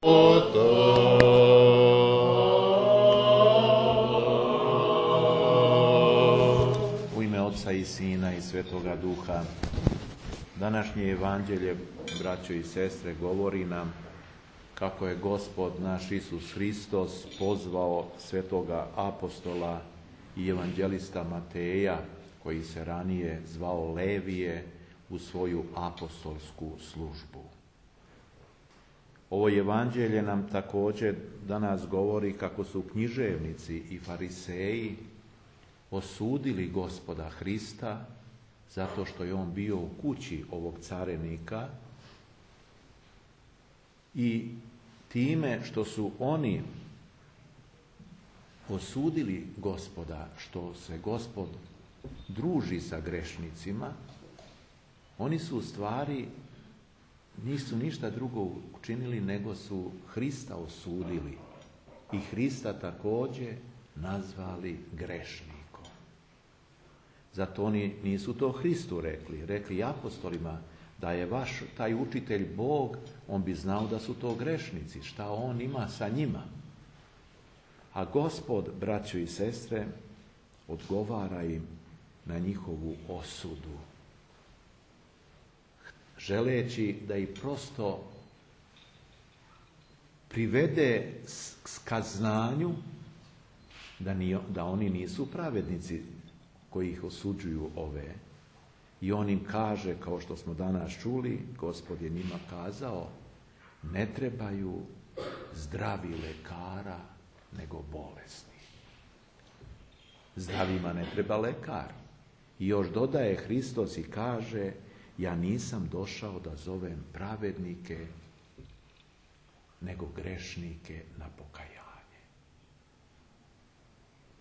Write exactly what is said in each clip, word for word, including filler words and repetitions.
U ime Oca i Sina i Svetoga Duha. Današnje evanđelje, braćo i sestre, govori nam kako je Gospod naš Isus Hristos pozvao svetoga apostola i evanđelista Mateja, koji se ranije zvao Levije, u svoju apostolsku službu. Ovo evanđelje nam također danas govori kako su književnici i fariseji osudili Gospoda Hrista zato što je on bio u kući ovog carenika i time što su oni osudili Gospoda, što se Gospod druži sa grešnicima, oni su u stvari nisu ništa drugo učinili nego su Hrista osudili i Hrista također nazvali grešnikom. Zato oni nisu to Hristu rekli, rekli apostolima da je vaš taj učitelj Bog, on bi znao da su to grešnici, šta on ima sa njima. A Gospod, braćo i sestre, odgovara im na njihovu osudu, želeći da ih prosto privede ka znanju da, ni, da oni nisu pravednici koji ih osuđuju ove. I on im kaže, kao što smo danas čuli, Gospod je njima kazao, ne trebaju zdravi lekara, nego bolesni. Zdravima ne treba lekar. I još dodaje Hristos i kaže, ja nisam došao da zovem pravednike, nego grešnike na pokajanje.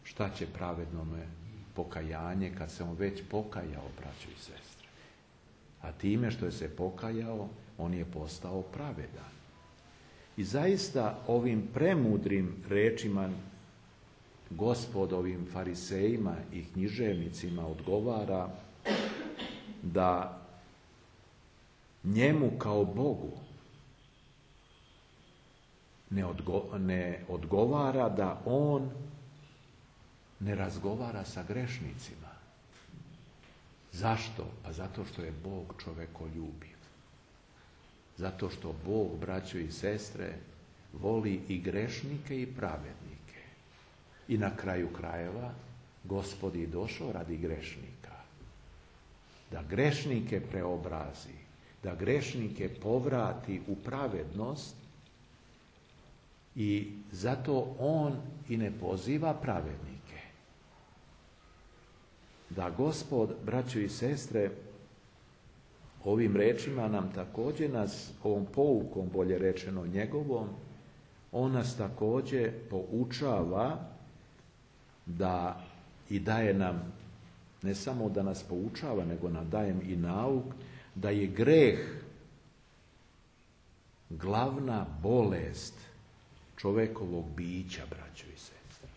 Šta će pravednome pokajanje kad se on već pokajao, braćo i sestre? A time što je se pokajao, on je postao pravedan. I zaista ovim premudrim rečima Gospod ovim farisejima i književnicima odgovara da njemu kao Bogu ne, odgo, ne odgovara da on ne razgovara sa grešnicima. Zašto? Pa zato što je Bog čovekoljubiv. Zato što Bog, braćo i sestre, voli i grešnike i pravednike. I na kraju krajeva Gospod je došao radi grešnika. Da grešnike preobrazi, da grešnike povrati u pravednost i zato on i ne poziva pravednike. Da Gospod, braćo i sestre, ovim rečima nam također nas, ovom poukom, bolje rečeno njegovom, on nas također poučava da i daje nam, ne samo da nas poučava, nego nam daje i nauk, da je greh glavna bolest čovjekovog bića, braćo i sestre.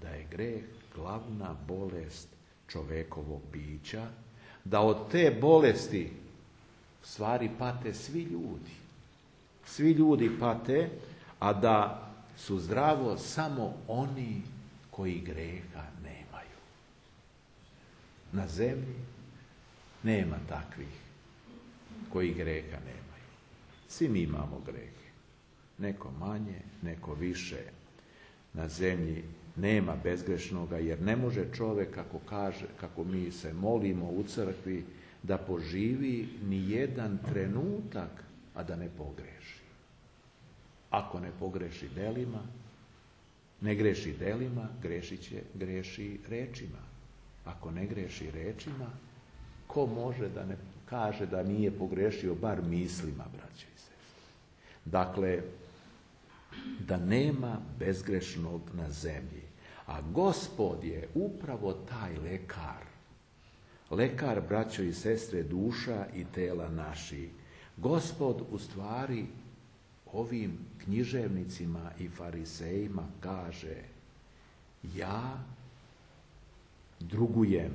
Da je greh glavna bolest čovjekovog bića, da od te bolesti u stvari pate svi ljudi. Svi ljudi pate, a da su zdravo samo oni koji greha nemaju. Na zemlji nema takvih koji greha nemaju. Svi mi imamo grehe. Neko manje, neko više. Na zemlji nema bezgrešnoga, jer ne može čovjek, kako kaže, kako mi se molimo u crkvi, da poživi ni jedan trenutak, a da ne pogreši. Ako ne pogreši delima, ne greši delima, grešit će, greši rečima. Ako ne greši rečima, ko može da ne kaže da nije pogrešio bar mislima, braće i sestre? Dakle, da nema bezgrešnog na zemlji. A Gospod je upravo taj lekar. Lekar, braćo i sestre, duša i tela naši. Gospod u stvari ovim književnicima i farisejima kaže, ja drugujem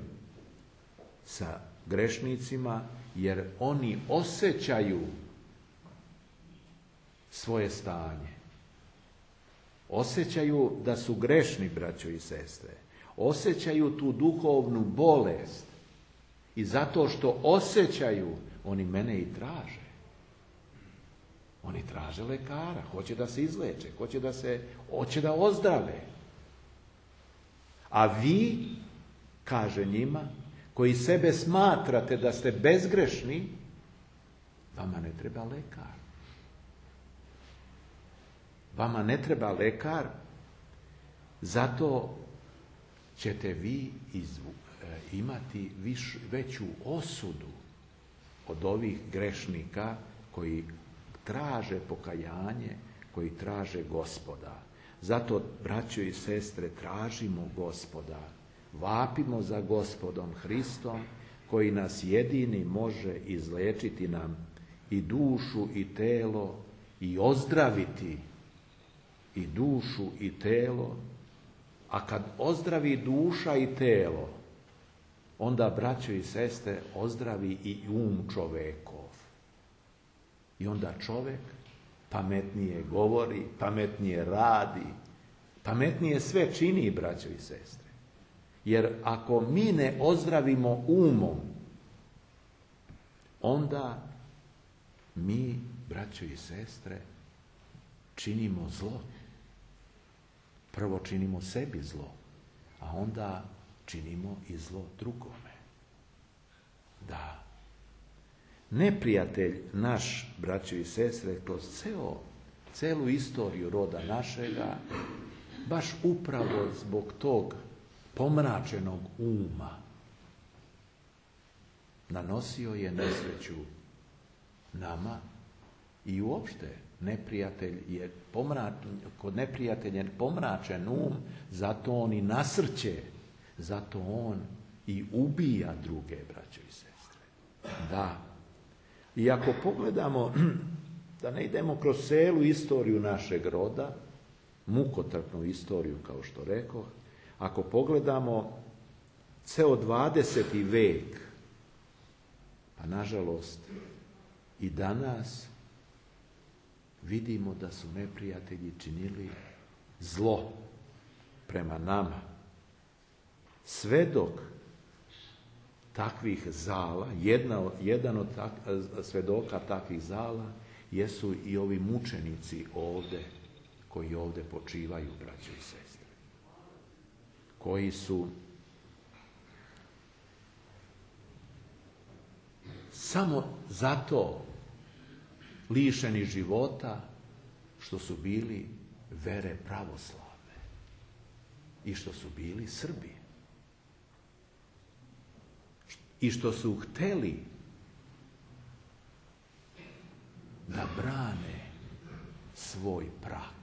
sa grešnicima jer oni osjećaju svoje stanje. Osjećaju da su grešni, braćo i sestre. Osjećaju tu duhovnu bolest. I zato što osjećaju, oni mene i traže. Oni traže lekara, hoće da se izleče, hoće da se, hoće da ozdrave. A vi, kaže njima, koji sebe smatrate da ste bezgrešni, vama ne treba lekar. Vama ne treba lekar, zato ćete vi izvu, e, imati viš, veću osudu od ovih grešnika koji traže pokajanje, koji traže Gospoda. Zato, braćo i sestre, tražimo Gospoda. Vapimo za Gospodom Hristom, koji nas jedini može izlečiti nam i dušu i telo i ozdraviti i dušu i telo. A kad ozdravi duša i telo, onda, braćo i sestre, ozdravi i um čovekov. I onda čovjek pametnije govori, pametnije radi, pametnije sve čini, braćo i sestre. Jer ako mi ne ozdravimo umom, onda mi, braćo i sestre, činimo zlo. Prvo činimo sebi zlo, a onda činimo i zlo drugome. Da. Neprijatelj naš, braćo i sestre, kroz ceo, celu istoriju roda našega, baš upravo zbog tog pomračenog uma, nanosio je nesreću nama i uopšte neprijatelj je pomračen, kod neprijatelja je pomračen um, zato on i nasrće, zato on i ubija druge, braćo i sestre. Da. I ako pogledamo, da ne idemo kroz celu istoriju našeg roda, mukotrpnu istoriju, kao što rekoh, ako pogledamo ceo dvadeseti vek, pa nažalost i danas vidimo da su neprijatelji činili zlo prema nama. Svedok takvih zala, jedna, jedan od tak, svedoka takvih zala jesu i ovi mučenici ovde, koji ovde počivaju, braćo i sestre. Koji su samo zato lišeni života što su bili vere pravoslavne i što su bili Srbi. I što su hteli da brane svoj prag,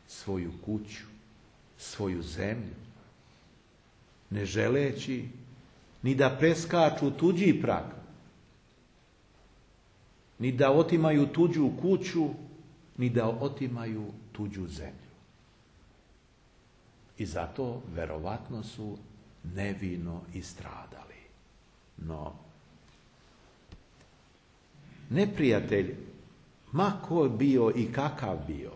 svoju kuću, svoju zemlju, ne želeći ni da preskaču tuđi prag, ni da otimaju tuđu kuću, ni da otimaju tuđu zemlju. I zato verovatno su nevino istradali. No, neprijatelj, ma ko bio i kakav bio,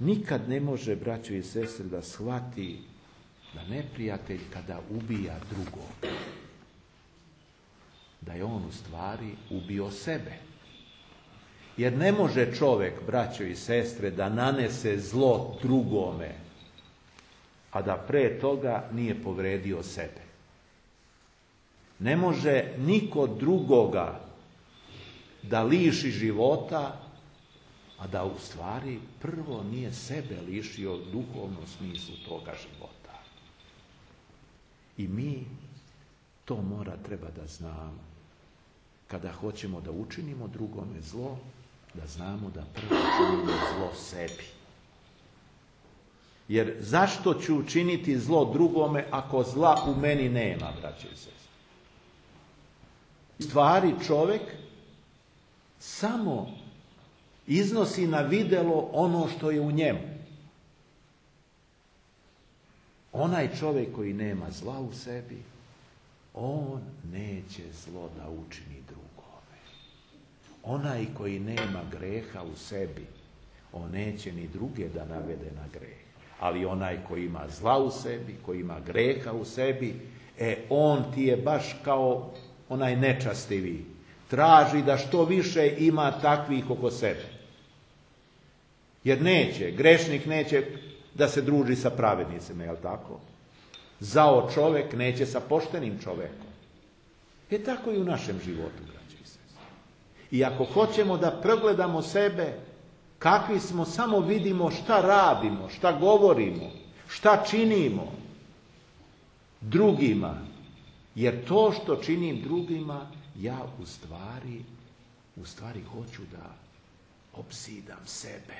nikad ne može, braćo i sestre, da shvati da neprijatelj kada ubija drugog, da je on u stvari ubio sebe. Jer ne može čovjek, braćo i sestre, da nanese zlo drugome, a da pre toga nije povredio sebe. Ne može niko drugoga da liši života, a da u stvari prvo nije sebe lišio u duhovnom smislu toga života. I mi to mora treba da znamo. Kada hoćemo da učinimo drugome zlo, da znamo da prvo činimo zlo sebi. Jer zašto ću učiniti zlo drugome ako zla u meni nema, braće i sestre? Stvari čovjek samo iznosi na videlo ono što je u njemu. Onaj čovjek koji nema zla u sebi, on neće zlo da učini drugome. Onaj koji nema greha u sebi, on neće ni druge da navede na greh. Ali onaj koji ima zla u sebi, koji ima greha u sebi, e on ti je baš kao onaj nečastivi. Traži da što više ima takvih oko sebe. Jer neće, grešnik neće da se druži sa pravednicima, jel tako? Zao čovjek neće sa poštenim čovjekom. E tako i u našem životu, braći i sestre. I ako hoćemo da pregledamo sebe, kakvi smo, samo vidimo šta radimo, šta govorimo, šta činimo drugima. Jer to što činim drugima, ja u stvari, u stvari hoću da obzidam sebe.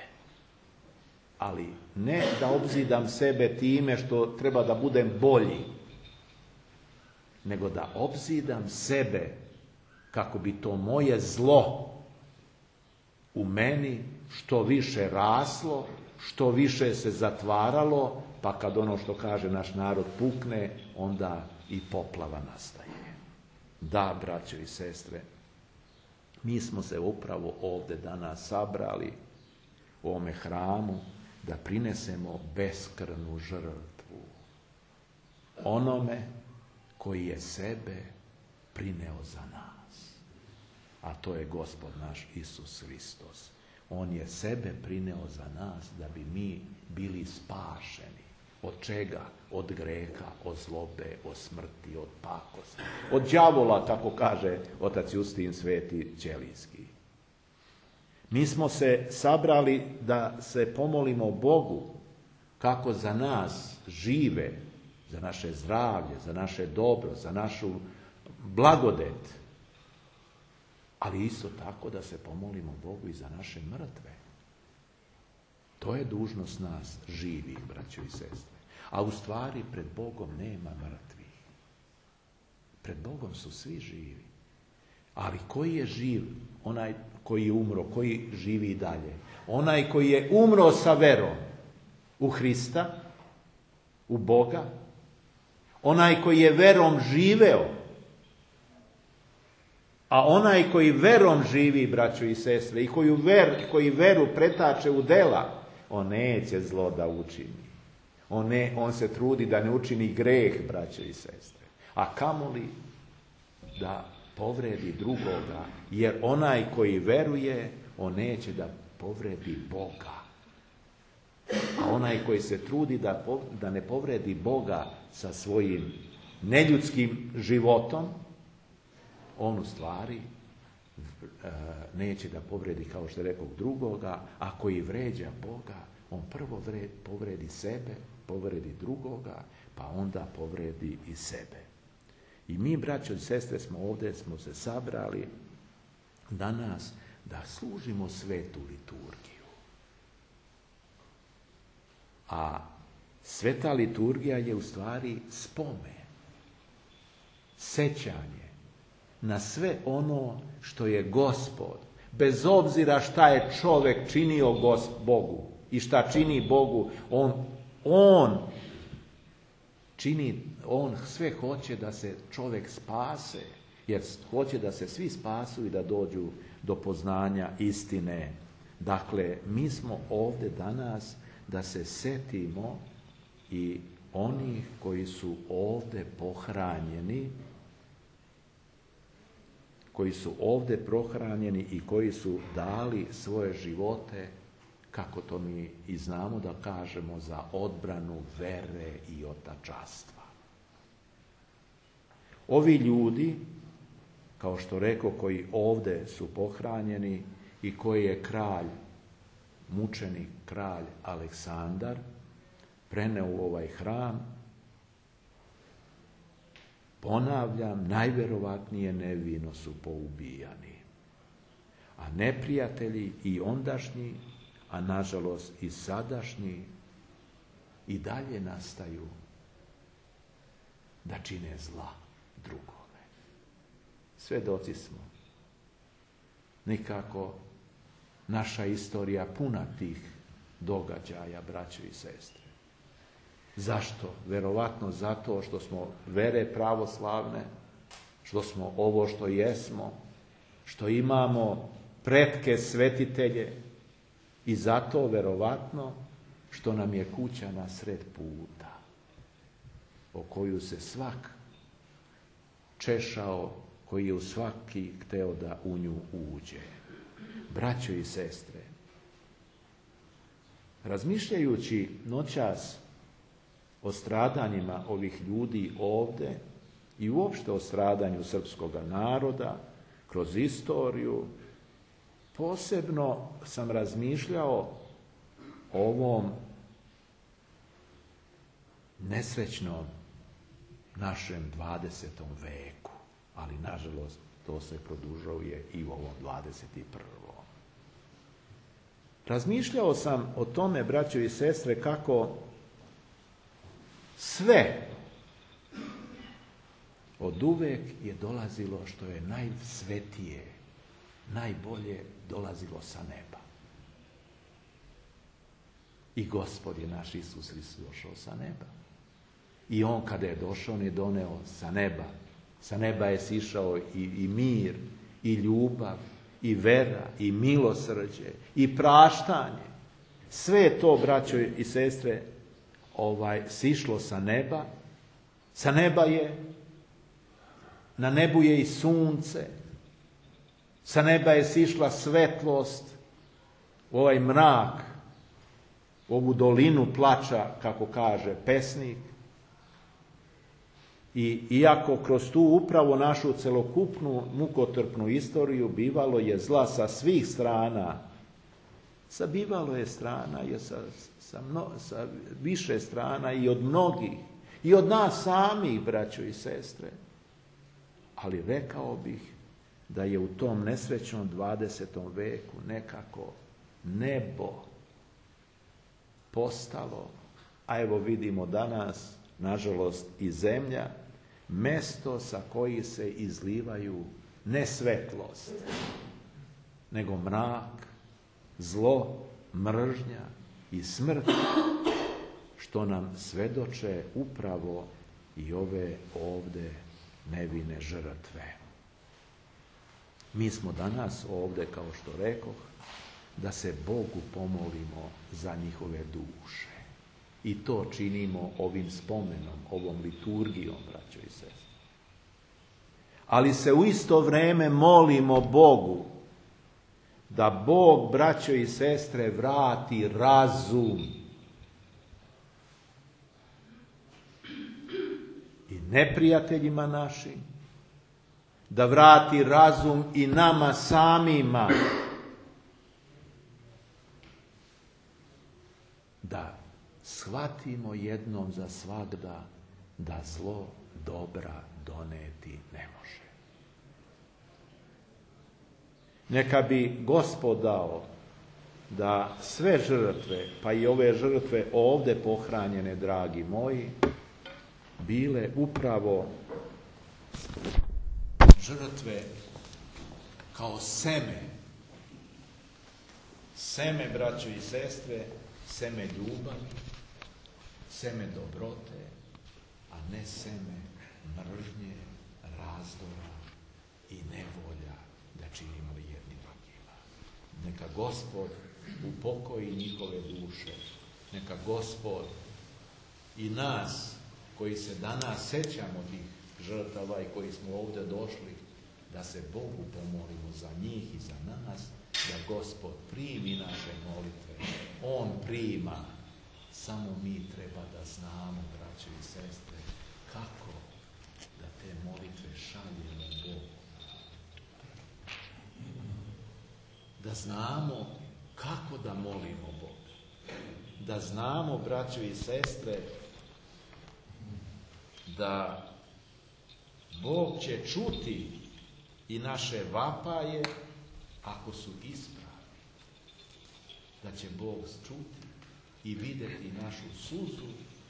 Ali ne da obzidam sebe time što treba da budem bolji, nego da obzidam sebe kako bi to moje zlo u meni što više raslo, što više se zatvaralo, pa kad ono što kaže naš narod pukne, onda i poplava nastaje. Da, braćo i sestre, mi smo se upravo ovdje danas sabrali u ovome hramu da prinesemo beskrvnu žrtvu onome koji je sebe prineo za nas. A to je Gospod naš Isus Hristos. On je sebe prineo za nas da bi mi bili spašeni. Od čega? Od greha, od zlobe, od smrti, od pakosti. Od đavola, tako kaže otac Justin Sveti Ćelijski. Mi smo se sabrali da se pomolimo Bogu kako za nas žive, za naše zdravlje, za naše dobro, za našu blagodet. Ali isto tako da se pomolimo Bogu i za naše mrtve. To je dužnost nas živih, braćo i sestre. A u stvari pred Bogom nema mrtvih. Pred Bogom su svi živi. Ali koji je živ? Onaj koji je umro, koji živi i dalje. Onaj koji je umro sa verom u Hrista, u Boga. Onaj koji je verom živeo. A onaj koji verom živi, braćo i sestre, i koju ver, koji veru pretače u dela, on neće zlo da učini. On, ne, on se trudi da ne učini greh, braćo i sestre. A kamoli da povredi drugoga, jer onaj koji veruje, on neće da povredi Boga. A onaj koji se trudi da, da ne povredi Boga sa svojim neljudskim životom, on u stvari e, neće da povredi, kao što je rekao, drugoga, a koji vređa Boga, on prvo vred, povredi sebe, povredi drugoga, pa onda povredi i sebe. I mi, braćo i sestre, smo ovdje, smo se sabrali danas da služimo svetu liturgiju. A sveta liturgija je u stvari spomen, sećanje na sve ono što je Gospod, bez obzira šta je čovjek činio Bogu i šta čini Bogu, on, on čini, on sve hoće da se čovjek spase, jer hoće da se svi spasu i da dođu do poznanja istine. Dakle, mi smo ovdje danas da se setimo i onih koji su ovdje pohranjeni, koji su ovdje prohranjeni i koji su dali svoje živote, kako to mi i znamo da kažemo, za odbranu vere i otačanstva. Ovi ljudi, kao što rekao, koji ovdje su pohranjeni i koji je kralj, mučenik kralj Aleksandar preneo u ovaj hram, ponavljam, najverovatnije nevino su poubijani. A neprijatelji i ondašnji, a nažalost i sadašnji, i dalje nastaju da čine zla drugome. Svedoci smo. Nikako naša istorija puna tih događaja, braćo i sestre. Zašto? Verovatno zato što smo vere pravoslavne, što smo ovo što jesmo, što imamo pretke svetitelje i zato verovatno što nam je kuća na sred puta o koju se svak češao koji je u svaki hteo da u nju uđe. Braćo i sestre, razmišljajući noćas o stradanjima ovih ljudi ovde i uopšte o stradanju srpskoga naroda kroz istoriju, posebno sam razmišljao o ovom nesrećnom našem dvadesetom veku, ali nažalost to se produžuje i u ovom dvadeset prvom. Razmišljao sam o tome, braćo i sestre, kako sve od uvek je dolazilo što je najsvetije, najbolje dolazilo sa neba. I Gospod je naš Isus Hristos došao sa neba. I on kada je došao, on je doneo sa neba. Sa neba je sišao i, i mir, i ljubav, i vera, i milosrđe, i praštanje. Sve je to, braćo i sestre, ovaj, sišlo sa neba. Sa neba je, na nebu je i sunce. Sa neba je sišla svetlost, u ovaj mrak, u ovu dolinu plača, kako kaže pesnik. I iako kroz tu upravo našu celokupnu mukotrpnu istoriju bivalo je zla sa svih strana, sa bivalo je strana je sa, sa, mno, sa više strana i od mnogih, i od nas samih, braćo i sestre. Ali rekao bih da je u tom nesrećnom dvadesetom veku nekako nebo postalo, a evo vidimo danas, nažalost, i zemlja, mesto sa koji se izlivaju ne svetlost, nego mrak, zlo, mržnja i smrt, što nam svedoče upravo i ove ovde nevine žrtve. Mi smo danas ovde, kao što rekoh, da se Bogu pomolimo za njihove duše. I to činimo ovim spomenom, ovom liturgijom, braćo i sestre. Ali se u isto vreme molimo Bogu da Bog, braćo i sestre, vrati razum i neprijateljima našim, da vrati razum i nama samima, da shvatimo jednom za svagda da zlo dobra doneti ne može. Neka bi Gospod dao da sve žrtve, pa i ove žrtve ovde pohranjene, dragi moji, bile upravo žrtve kao seme. Seme, braćo i sestre, seme ljubavi, seme dobrote, a ne seme mržnje, razdora i nevolja da činimo jedni drugima. Neka Gospod upokoji njihove duše. Neka Gospod i nas koji se danas sećamo tih žrtava i koji smo ovdje došli, da se Bogu pomolimo za njih i za nas, da Gospod primi naše molitve. On prima. Samo mi treba da znamo, braće i sestre, kako da te molitve šaljemo Bogu. Da znamo kako da molimo Boga. Da znamo, braćo i sestre, da Bog će čuti i naše vapaje ako su ispravni. Da će Bog čuti i vidjeti našu suzu,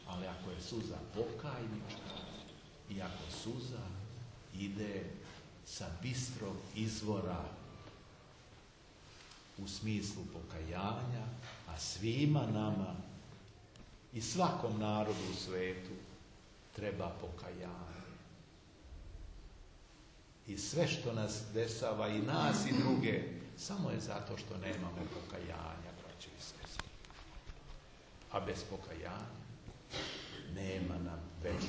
ali ako je suza pokajnička i ako suza ide sa bistrog izvora u smislu pokajanja, a svima nama i svakom narodu u svetu treba pokajanje. I sve što nas dešava, i nas i druge, samo je zato što nemamo pokajanja, braćo i sestre. A bez pokajanja nema nam večnog